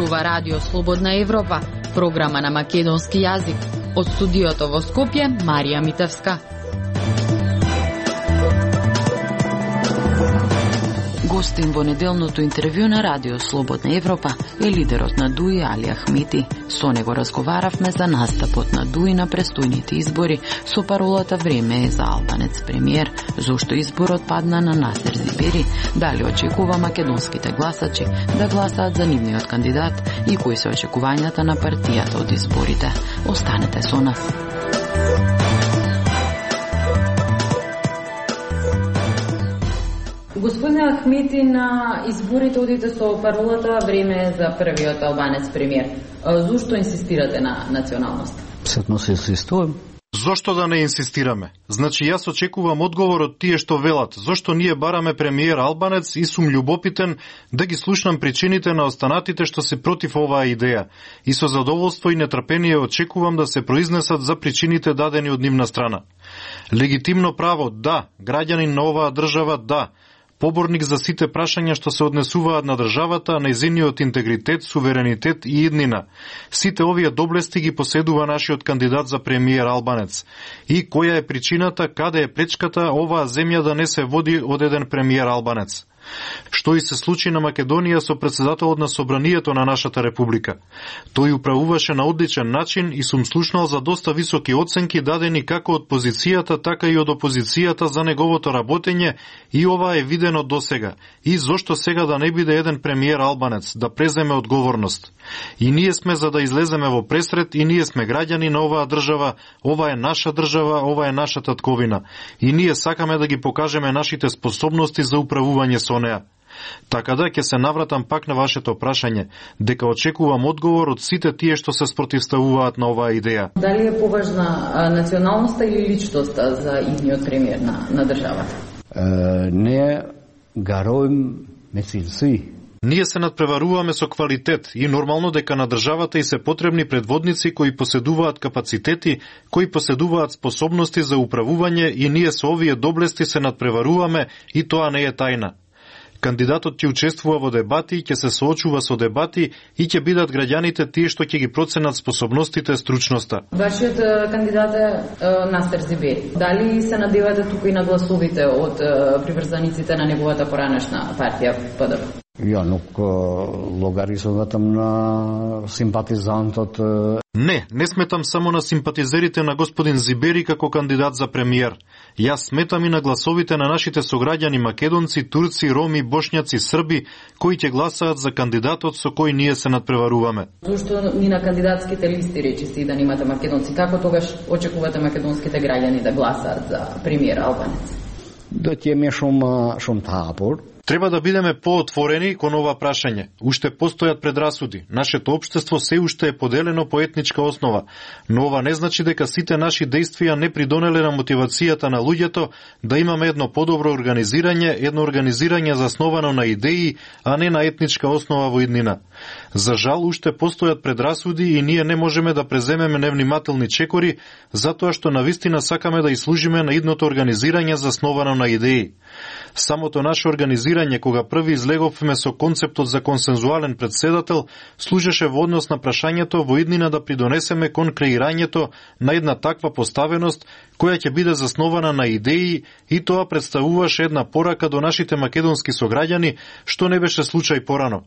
зборува Радио Слободна Европа, програма на македонски јазик. Од студиото во Скопје, Марија Митевска. Гостин во неделното интервју на Радио Слободна Европа е лидерот на ДУИ Али Ахмити. Со него разговаравме за настапот на ДУИ на престојните избори со паролата "Време е за албанец премиер", зошто изборот падна на Насер Зибери, дали очекува македонските гласачи да гласаат за нивниот кандидат и кои се очекувањата на партијата од изборите. Останете со нас. Господине Ахмити, на изборите одите со паролата "Време е за првиот албанец премиер". Зошто инсистирате на националност? Сетно се инсистувам. Зошто да не инсистираме? Значи јас очекувам одговор од тие што велат. Зошто ние бараме премиер албанец и сум љубопитен да ги слушнам причините на останатите што се против оваа идеја. И со задоволство и нетрпение очекувам да се произнесат за причините дадени од нивна страна. Легитимно право, да. Граѓанин на оваа држава, да. Поборник за сите прашања што се однесуваат на државата, нејзиниот интегритет, суверенитет и иднина. Сите овие доблести ги поседува нашиот кандидат за премиер албанец. И која е причината, каде е пречката оваа земја да не се води од еден премиер албанец? Што и се случи на Македонија со претседателот на Собранието на нашата република. Тој управуваше на одличен начин и сум слушнал за доста високи оценки дадени како од позицијата, така и од опозицијата за неговото работење и ова е видено досега. И зошто сега да не биде еден премиер албанец, да преземе одговорност? И ние сме за да излеземе во пресред и ние сме граѓани на оваа држава, ова е наша држава, ова е наша татковина. И ние сакаме да ги покажеме нашите способности за управување со неа. Така да, ќе се навратам пак на вашето прашање, дека очекувам одговор од сите тие што се спротивставуваат на оваа идеја. Дали е поважна националноста или личноста за идниот премиер на државата? Не гароим месилци. Ние се надпреваруваме со квалитет и нормално дека на државата и се потребни предводници кои поседуваат капацитети, кои поседуваат способности за управување и ние со овие доблести се надпреваруваме и тоа не е тајна. Кандидатот ќе учествува во дебати, ќе се соочува со дебати и ќе бидат граѓаните тие што ќе ги проценат способностите, стручноста. Вашиот кандидат е Насер Зибери. Дали се надевате тука и на гласовите од приврзаниците на неговата поранешна партија ПДП? Ја нук логаризуватам на симпатизантот. Не сметам само на симпатизерите на господин Зибери како кандидат за премиер. Јас сметам и на гласовите на нашите сограѓани македонци, турци, роми, бошњаци, срби, кои ќе гласаат за кандидатот со кој ние се надпреваруваме. Зошто ни на кандидатските листи речиси да немате македонци? Како тогаш очекувате македонските граѓани да гласаат за премиер албанец? Да ќе ме шум тапор. Треба да бидеме поотворени кон ова прашање. Уште постојат предрасуди. Нашето општество се уште е поделено по етничка основа, но ова не значи дека сите наши дејствија не придонеле на мотивацијата на луѓето да имаме едно подобро едно организирање засновано на идеи, а не на етничка основа во иднина. За жал, уште постојат предрасуди и ние не можеме да преземеме невнимателни чекори, затоа што навистина сакаме да ислужиме на идното организирање засновано на идеи. Самото наше организирање, кога први излеговме со концептот за консензуален председател, служеше во однос на прашањето во иднина да придонесеме кон креирањето на една таква поставеност, која ќе биде заснована на идеи и тоа представуваше една порака до нашите македонски сограѓани, што не беше случај порано.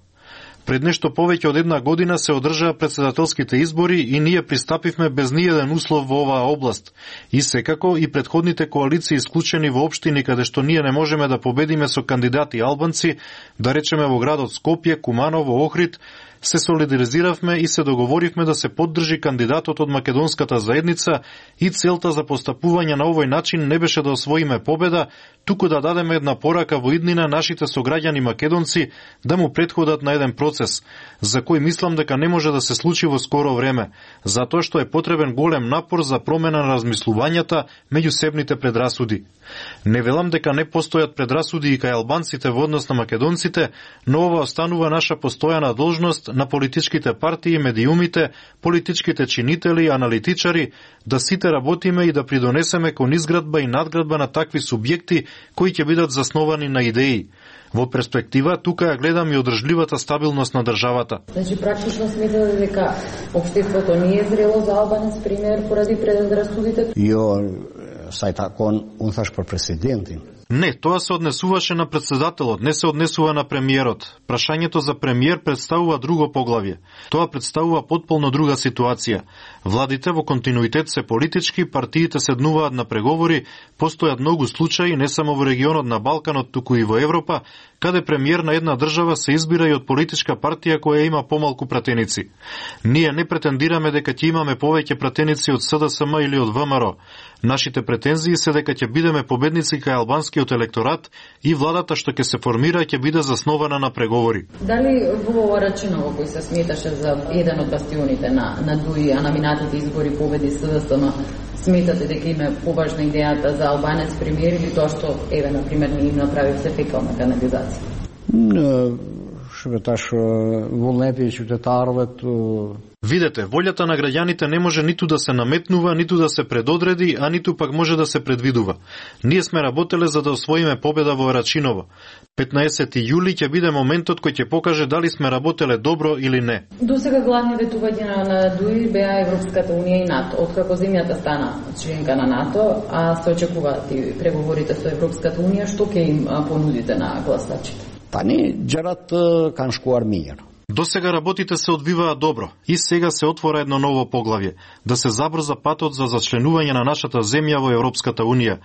Пред нешто повеќе од една година се одржаа претседателските избори и ние пристапивме без ниеден услов во оваа област. И секако и претходните коалиции исклучени во општини каде што ние не можеме да победиме со кандидати албанци, да речеме во градот Скопје, Куманово, Охрид, се солидаризиравме и се договоривме да се поддржи кандидатот од македонската заедница и целта за постапување на овој начин не беше да освоиме победа, туку да дадеме една порака во иднина нашите сограѓани македонци да му претходат на еден процес, за кој мислам дека не може да се случи во скоро време, затоа што е потребен голем напор за промена на размислувањата меѓусебните предрасуди. Не велам дека не постојат предрасуди и кај албанците во однос на македонците, но ова останува наша постојана должност на политичките партии, медиумите, политичките чинители, аналитичари, да сите работиме и да придонесеме кон изградба и надградба на такви субјекти кои ќе бидат засновани на идеи. Во перспектива, тука ја гледам и одржливата стабилност на државата. Значи, практично сметате дека општеството не е зрело за албанец, пример, поради предрасудите? Jo, sa i takon, unë thash për presidentin. Не, тоа се однесуваше на председателот, не се однесува на премиерот. Прашањето за премиер представува друго поглавје. Тоа представува потполно друга ситуација. Владите во континуитет се политички, партиите седнуваат на преговори, постојат многу случаи не само во регионот на Балканот, туку и во Европа, каде премиер на една држава се избира и од политичка партија која има помалку пратеници. Ние не претендираме дека ќе имаме повеќе пратеници од СДСМ или од ВМРО. Нашите претензии се дека ќе бидеме победници кај албанскиот електорат и владата што ќе се формира ќе биде заснована на преговори. Дали во Рачиново, кој се сметаше за еден од бастионите на ДУИ, а на минатите избори победи СДСМ, сметате дека има поважна идејата за албанец премиер или тоа што, еве, например, не им направи се фекална канализација? Shpetash vullneti i qytetarëve të Видете, волјата на граѓаните не може ниту да се наметнува, ниту да се предодреди, а ниту пак може да се предвидува. Ние сме работеле за да освоиме победа во Рачиново. 15 јули ќе биде моментот кој ќе покаже дали сме работеле добро или не. До сега главни ветувања на ДУИ беа Европската унија и НАТО. Откако земјата стана членка на НАТО, а се очекуваат и преговорите со Европската унија, што ќе им понудите на гласачите? Tani gjërat kanë shkuar mirë. До сега работите се одвиваат добро и сега се отвора едно ново поглавје, да се забрза патот за зачленување на нашата земја во Европската унија.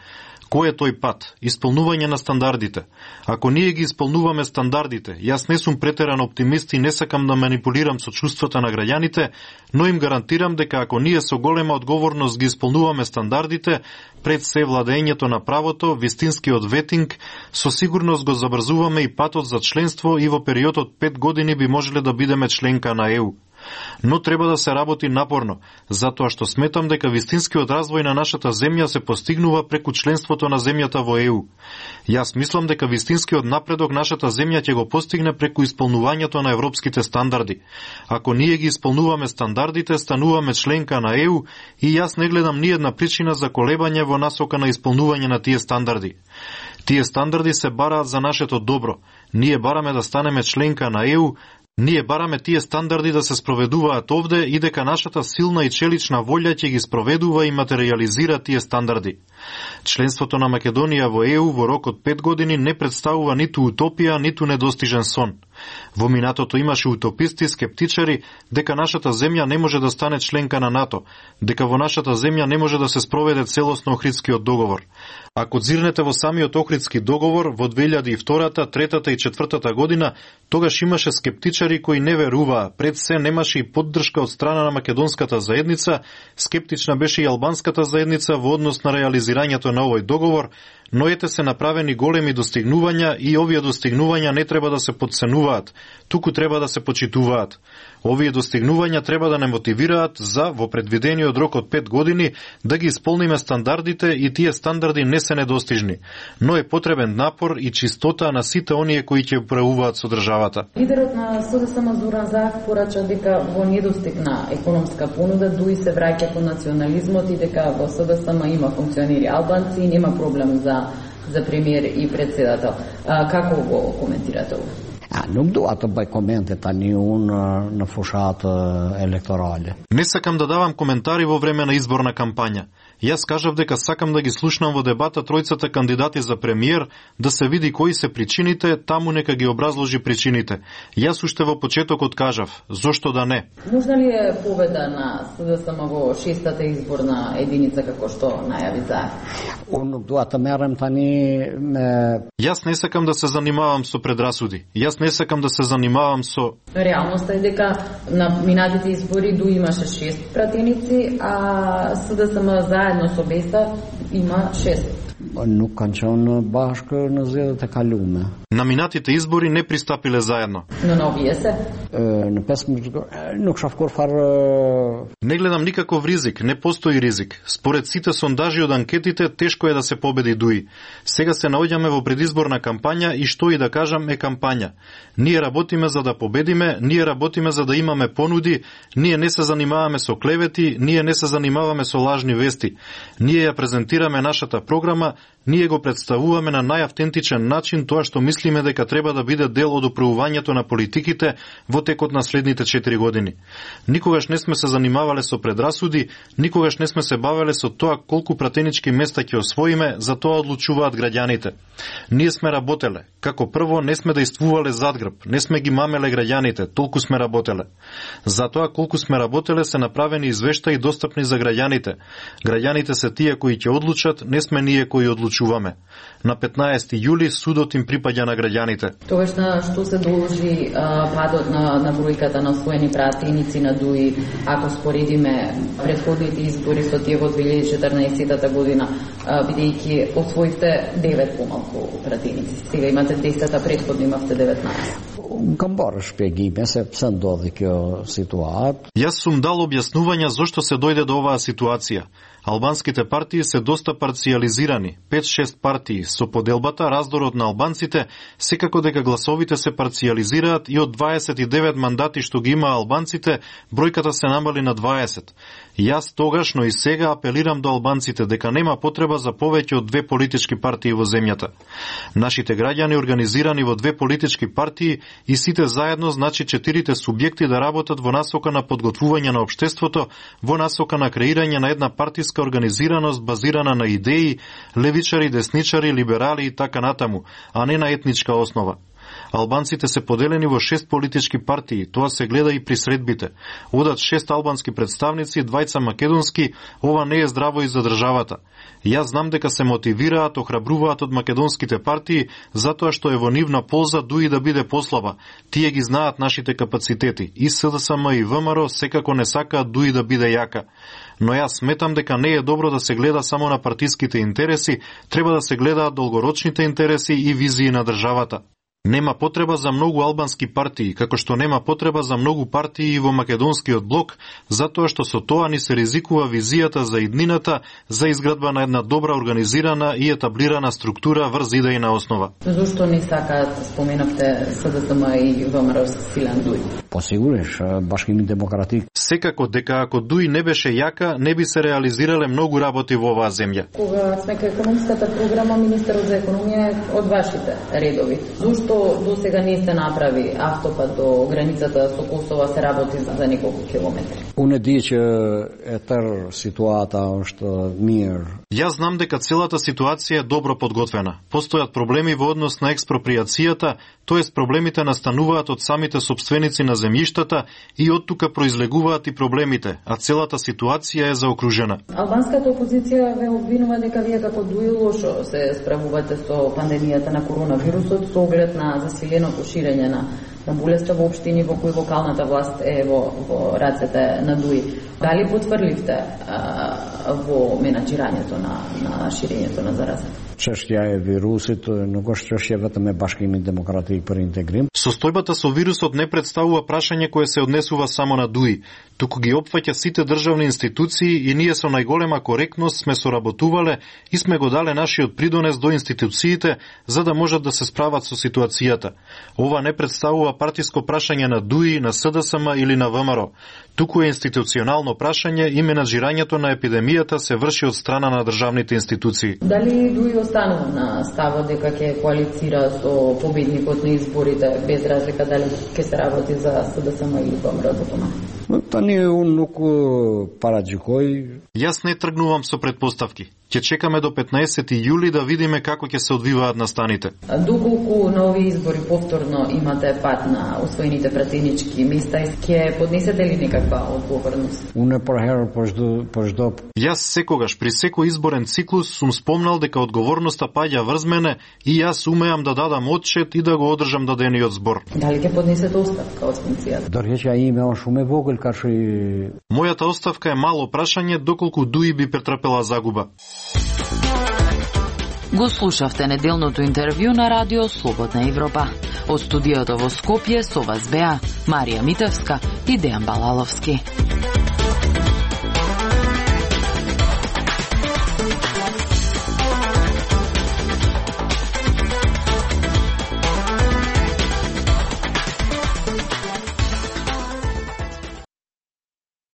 Кој е тој пат? Исполнување на стандардите. Ако ние ги исполнуваме стандардите, јас не сум претеран оптимист и не сакам да манипулирам со чувствата на граѓаните, но им гарантирам дека ако ние со голема одговорност ги исполнуваме стандардите, пред се владењето на правото, вистинскиот ветинг, со сигурност го забрзуваме и патот за членство и во период од 5 години би можеле да бидеме членка на ЕУ. Но треба да се работи напорно, затоа што сметам дека вистинскиот развој на нашата земја се постигнува преку членството на земјата во ЕУ. Јас мислам дека вистинскиот напредок нашата земја ќе го постигне преку исполнувањето на европските стандарди. Ако ние ги исполнуваме стандардите, стануваме членка на ЕУ и јас не гледам ниедна причина за колебање во насока на исполнување на тие стандарди. Тие стандарди се бараат за нашето добро. Ние бараме да станеме членка на ЕУ, ние бараме тие стандарди да се спроведуваат овде и дека нашата силна и челична волја ќе ги спроведува и материјализира тие стандарди. Членството на Македонија во ЕУ во рок од 5 години не представува ниту утопија, ниту недостижен сон. Во минатото имаше утописти, скептичари, дека нашата земја не може да стане членка на НАТО, дека во нашата земја не може да се спроведе целосно Охридскиот договор. Ако зирнете во самиот Охридски договор, во 2002, 3 и 4 година, тогаш имаше скептичари кои не веруваа, пред се немаше и поддршка од страна на македонската заедница, скептична беше и албанската заедница во однос на реализирањето на овој договор, но ете се направени големи достигнувања и овие достигнувања не треба да се подценуваат, туку треба да се почитуваат. Овие достигнувања треба да не мотивираат за, во предвидениот рок од 5 години, да ги исполниме стандардите и тие стандарди не се недостижни, но е потребен напор и чистота на сите оние кои ќе управуваат со државата. Лидерот на СДСМ Зоран Заев порача дека во недостиг на економска понуда ДУИ се враќа кон национализмот и дека во СДСМ има функционери албанци и нема проблем за премиер и председател. Како го коментирате ова? Nuk dua të bëj komente tani unë në fushat elektorale. Не сакам да давам коментари во време на изборна кампања. Јас кажав дека сакам да ги слушнам во дебата тројцата кандидати за премиер, да се види кои се причините, таму нека ги образложи причините. Јас уште во почетокот кажав, зошто да не? Можна ли е победа на СДСМ во 6-та изборна единица како што најави Заев? Unë nuk dua të merrem tani me Јас не сакам да се занимавам со предрасуди. Јас не сакам да се занимавам со... Реалноста е дека на минатите избори ДУИ имаше 6 пратеници, а СДСМ заедно со Беса има 6. Nuk kanë qenë bashkë në zgjedhjet e kaluara. На минатите избори не пристапиле заедно. Но на овие се? Në 15 Nuk shoh kurfar. Не гледам никаков ризик, не постои ризик. Според сите сондажи од анкетите, тешко е да се победи Дуи. Сега се наоѓаме во предизборна кампања и што и да кажам е кампања. Ние работиме за да победиме, ние работиме за да имаме понуди, ние не се занимаваме со клевети, ние не се занимаваме со лажни вести. Ние ја презентираме нашата програма, ние го представуваме на најавтентичен начин тоа што мислиме дека треба да биде дел од управувањето на политиките во текот на следните 4 години. Никогаш не сме се занимавале со предрасуди, никогаш не сме се бавеле со тоа колку пратенички места ќе освоиме, за тоа одлучуваат граѓаните. Ние сме работеле. Како прво, не сме действувале задгрб, не сме ги мамеле граѓаните, толку сме работеле. Затоа колку сме работеле се направени извештаи достапни за граѓаните. Граѓаните се тие кои ќе одлучат, не сме ние кои одлучуваме. На 15 јули судот им припаѓа на граѓаните. Тогаш на што се должи падот на бројката на освоени пратеници на Дуи, ако споредиме претходните избори со тие во 2014 година, бидејќи освоивте 9 помалку пратеници. Сега имате 10, а претходно имавте 19. Камбар шпегиме се пse ndodhi kjo situatë. Јас сум дал објаснувања зошто се дојде до оваа ситуација. Албанските партии се доста парциализирани, 5-6 партии, со поделбата, раздорот на албанците, секако дека гласовите се парциализираат и од 29 мандати што ги има албанците, бројката се намали на 20. Јас тогаш, но и сега апелирам до албанците дека нема потреба за повеќе од 2 политички партии во земјата. Нашите граѓани организирани во 2 политички партии и сите заедно, значи 4 субјекти да работат во насока на подготвување на општеството, во насока на креирање на една партиска организираност базирана на идеи, левичари, десничари, либерали и така натаму, а не на етничка основа. Албанците се поделени во 6 политички партии, тоа се гледа и при средбите. Одат 6 албански представници, 2 македонски, ова не е здраво и за државата. Јас знам дека се мотивираат, охрабруваат од македонските партии, затоа што е во нивна полза Дуи да биде послаба. Тие ги знаат нашите капацитети. И СДСМ и ВМРО секако не сакаат Дуи да биде јака. Но јас сметам дека не е добро да се гледа само на партиските интереси, треба да се гледаат долгорочните интереси и визии на државата. Нема потреба за многу албански партии, како што нема потреба за многу партии и во македонскиот блок, затоа што со тоа ни се ризикува визијата за иднината, за изградба на една добра организирана и етаблирана структура врз идејна основа. Зошто не сакаат, споменавте СДСМ и ВМРО силен Дуи? Посигуриш, Башкими демократик. Секако дека ако Дуи не беше јака, не би се реализирале многу работи во оваа земја. Кога сме кај економската програма, министерот за економија е од вашите редови. Зошто до сега не се направи автопат до границата со Косово, се работи за неколку километри? Unë di që e tërë situata është mirë. Јас знам дека целата ситуација е добро подготвена. Постојат проблеми во однос на експроприацијата, тоест проблемите настануваат од самите сопственици на земјиштата и од тука произлегуваат и проблемите, а целата ситуација е заокружена. Албанската опозиција ве обвинува дека вие како Дуи лошо се справувате со пандемијата на коронавирусот со оглед на засиленото ширење на болеста во општини во кои локалната власт е во рацете на Дуи. Дали потврдивте во менаџирањето на ширењето на заразата? Çështja e virusit nuk është çështje vetëm e Bashkimit Demokratik për Integrim. Состојбата со вирусот не представува прашање кое се однесува само на Дуи, туку ги опфаќа сите државни институции и ние со најголема коректност сме соработувале и сме го дале нашиот придонес до институциите за да можат да се справат со ситуацијата. Ова не представува партиско прашање на Дуи, на СДСМ или на ВМРО. Туку е институционално прашање и менаџирањето на епидемијата се врши од страна на државните институции. Дали Дуи останува на ставот дека ќе коалицира со победникот на изборите, без разлика дали ќе се работи за СДСМ или ВМРО за тоа? Tani unë nuk paragjykoj. Јас не тргнувам со предпоставки. Ќе чекаме до 15 јули да видиме како ќе се одвиваат настаните. Доколку на овие избори повторно имате пат на освоените пратенички места, ќе поднесете ли некаква одговорност? Unë për herë për çdo. Јас секогаш при секој изборен циклус сум спомнал дека одговорноста паѓа врз мене и јас умеам да дадам отчет и да го одржам дадениот збор. Дали ќе поднесете оставка од функцијата? Dorëheqja ime është shumë e vogël, ka shi. Мојата оставка е мало прашање доколку Дуи би претрпела загуба. Го слушавте неделното интервју на Радио Слободна Европа. Од студиото во Скопје со вас беа Марија Митевска и Дејан Балаловски.